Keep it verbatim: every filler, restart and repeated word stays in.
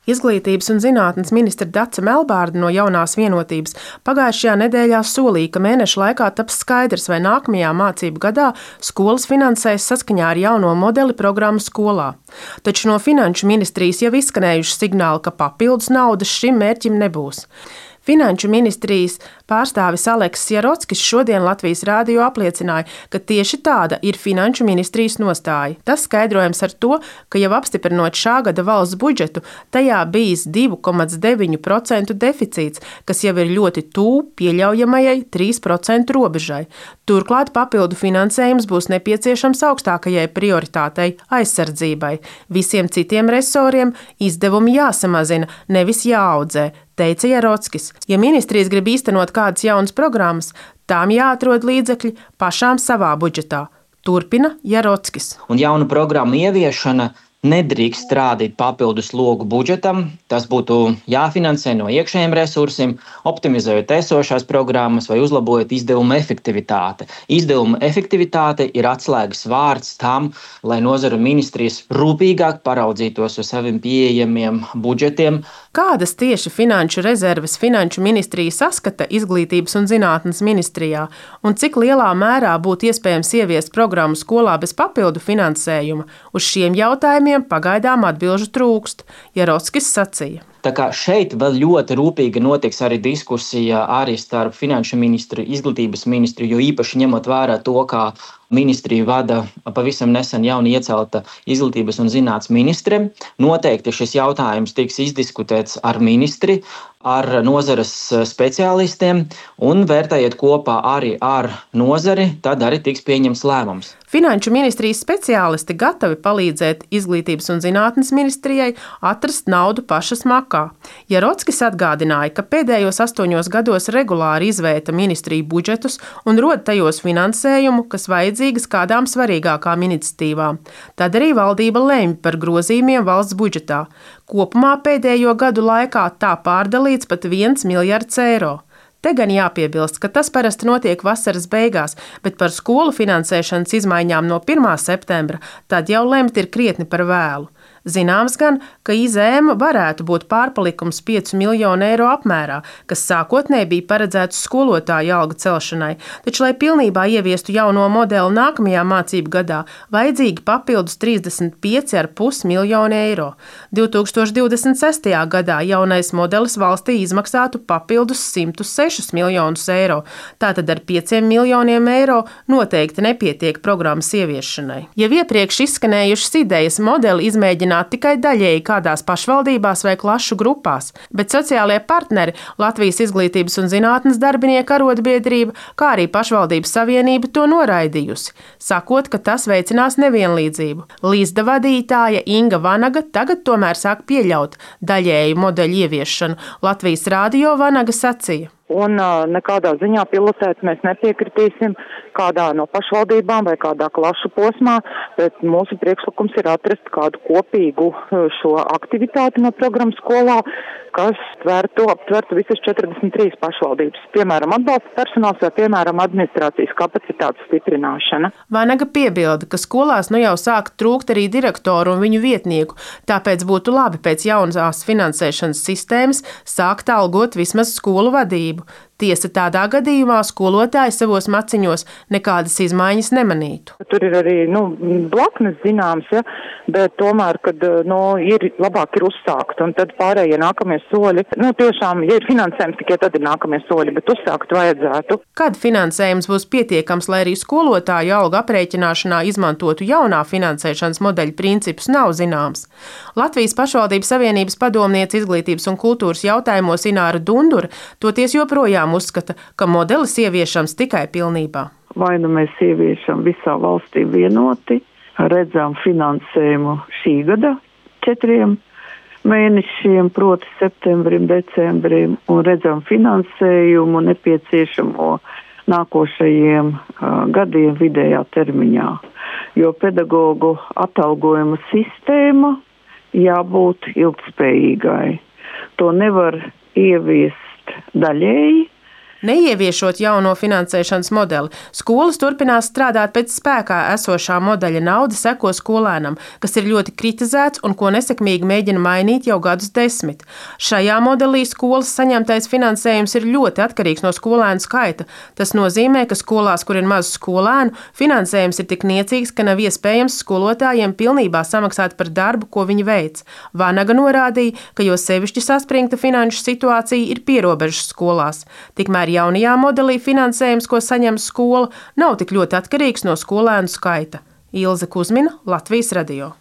Izglītības un zinātnes ministre Dace Melbārde no Jaunās vienotības pagājušajā nedēļā solīja, ka mēneša laikā taps skaidrs, vai nākamajā mācību gadā skolas finansēs saskaņā ar jauno modeli programmu skolā. Taču no Finanšu ministrijas jau izskanējuši signāli, ka papildus naudas šim mērķim nebūs. Finanšu ministrijas pārstāvis Aleksis Jarockis šodien Latvijas rādio apliecināja, ka tieši tāda ir Finanšu ministrijas nostāja. Tas skaidrojams ar to, ka jau apstiprinot šā gada valsts budžetu, tajā bijis divi komats deviņi procenti deficīts, kas jau ir ļoti tuvu pieļaujamajai trīs procentu robežai. Turklāt papildu finansējums būs nepieciešams augstākajai prioritātei – aizsardzībai. Visiem citiem resoriem izdevumi jāsamazina, nevis jāaudzē, teica Jarockis. Ja ministrijas grib īstenot kādas jaunas programmas, tām jāatrod līdzekļi pašām savā budžetā. Turpina Jarockis. Un jaunu programmu ieviešana nedrīkst strādāt papildus logu budžetam. Tas būtu jāfinansē no iekšējiem resursiem, optimizējot esošās programmas vai uzlabojot izdevumu efektivitāti. Izdevuma efektivitāte ir atslēgas vārds tam, lai nozaru ministrijas rūpīgāk paraudzītos uz saviem pieejamiem budžetiem. Kādas tieši finanšu rezerves Finanšu ministrija saskata Izglītības un zinātnes ministrijā un cik lielā mērā būtu iespējams ieviest programmu skolā bez papildu finansējuma? Uz šiem jautājumiem pagaidām atbilžu trūkst, Jarockis sacīja. Tā kā šeit vēl ļoti rūpīgi notiks arī diskusija arī starp Finanšu ministru, Izglītības ministru, jo īpaši ņemot vērā to, kā ministriju vada pavisam nesen jauni iecelta Izglītības un zinātnes ministre. Noteikti šis jautājums tiks izdiskutēts ar ministri, ar nozares speciālistiem un vērtējot kopā arī ar nozari, tad arī tiks pieņems lēmums. Finanšu ministrijas speciālisti gatavi palīdzēt Izglītības un zinātnes ministrijai atrast naudu pašas makā. Jarockis atgādināja, ka pēdējos astoņos gados regulāri izvērta ministriju budžetus un rod tajos finansējumu, kas vajadzīgas kādām svarīgākām iniciatīvām. Tad arī valdība lemj par grozījumiem valsts budžetā. Kopumā pēdējo gadu laikā tā pārdalīts pat viens miljards eiro. Te gan jāpiebilst, ka tas parasti notiek vasaras beigās, bet par skolu finansēšanas izmaiņām no pirmā septembra tad jau lemt ir krietni par vēlu. Zināms gan, ka I Z M varētu būt pārpalikums piecu miljonu eiro apmērā, kas sākotnēji bija paredzēts skolotāju algu celšanai, taču, lai pilnībā ieviestu jauno modeli nākamajā mācību gadā, vajadzīgi papildus trīsdesmit pieci komats pieci miljoni eiro. divi tūkstoši divdesmit sestajā gadā jaunais modelis valstī izmaksātu papildus simt sešus miljonus eiro, tātad ar pieciem miljoniem eiro noteikti nepietiek programmas ieviešanai. Jau iepriekš izskanējušas idejas modeli izmēģināt tikai daļēji kādās pašvaldībās vai klašu grupās, bet sociālie partneri Latvijas Izglītības un zinātnes darbinieku arotbiedrība, kā arī pašvaldības savienība to noraidījusi, sakot, ka tas veicinās nevienlīdzību. Līzda vadītāja Inga Vanaga tagad tomēr sāk pieļaut daļēju modeļu ieviešanu. Latvijas rādio Vanaga sacīja. Un uh, nekādā ziņā pilotēt mēs nepiekritīsim kādā no pašvaldībām vai kādā klašu posmā, bet mūsu priekšlikums ir atrast kādu kopīgu šo aktivitāti no programmas skolā, kas tvertu, aptvertu visas četrdesmit trīs pašvaldības, piemēram, atbalsta personāls vai, piemēram, administrācijas kapacitātes stiprināšana. Vanaga piebilda, ka skolās nu jau sāk trūkt arī direktoru un viņu vietnieku, tāpēc būtu labi pēc jaunās finansēšanas sistēmas sākt algot vismaz skolu vadību. Tiesa, tādā gadījumā skolotāji savos maciņos nekādas izmaiņas nemanītu. Tur ir arī nu, blaknes zināms, ja, bet tomēr, kad nu, ir labāk ir uzsākt, un tad pārējie nākamie soļi, nu tiešām, ja ir finansējums, tikai tad ir nākamie soļi, bet uzsākt vajadzētu. Kad finansējums būs pietiekams, lai arī skolotāju algu aprēķināšanā izmantotu jaunā finansēšanas modeļa principus, nav zināms. Latvijas pašvaldības savienības padomniece izglītības un kultūras jautājumos Ināra Dundura toties joprojām uzskata, ka modelis ieviešams tikai pilnībā. Vai nu mēs ieviešam visā valstī vienoti, redzam finansējumu šī gada četriem mēnešiem, proti septembrim, decembrim, un redzam finansējumu nepieciešamo nākošajiem uh, gadiem vidējā termiņā. Jo pedagogu atalgojuma sistēma jābūt ilgtspējīgai. To nevar ieviest daļēji, Neieviešot jauno finansēšanas modeli, skolas turpinās strādāt pēc spēkā esošā modeļa. Nauda seko skolēnam, kas ir ļoti kritizēts un ko nesekmīgi mēģina mainīt jau gadus desmit. Šajā modelī skolas saņemtais finansējums ir ļoti atkarīgs no skolēnu skaita. Tas nozīmē, ka skolās, kur ir maz skolēnu, finansējums ir tik niecīgs, ka nav iespējams skolotājiem pilnībā samaksāt par darbu, ko viņi veic. Vanaga norādīja, ka jo sevišķi saspringta finanšu situācija ir pierobežas skolās. Tikmēr jaunajā modelī finansējums, ko saņem skola, nav tik ļoti atkarīgs no skolēnu skaita. Ilze Kuzmina, Latvijas radio.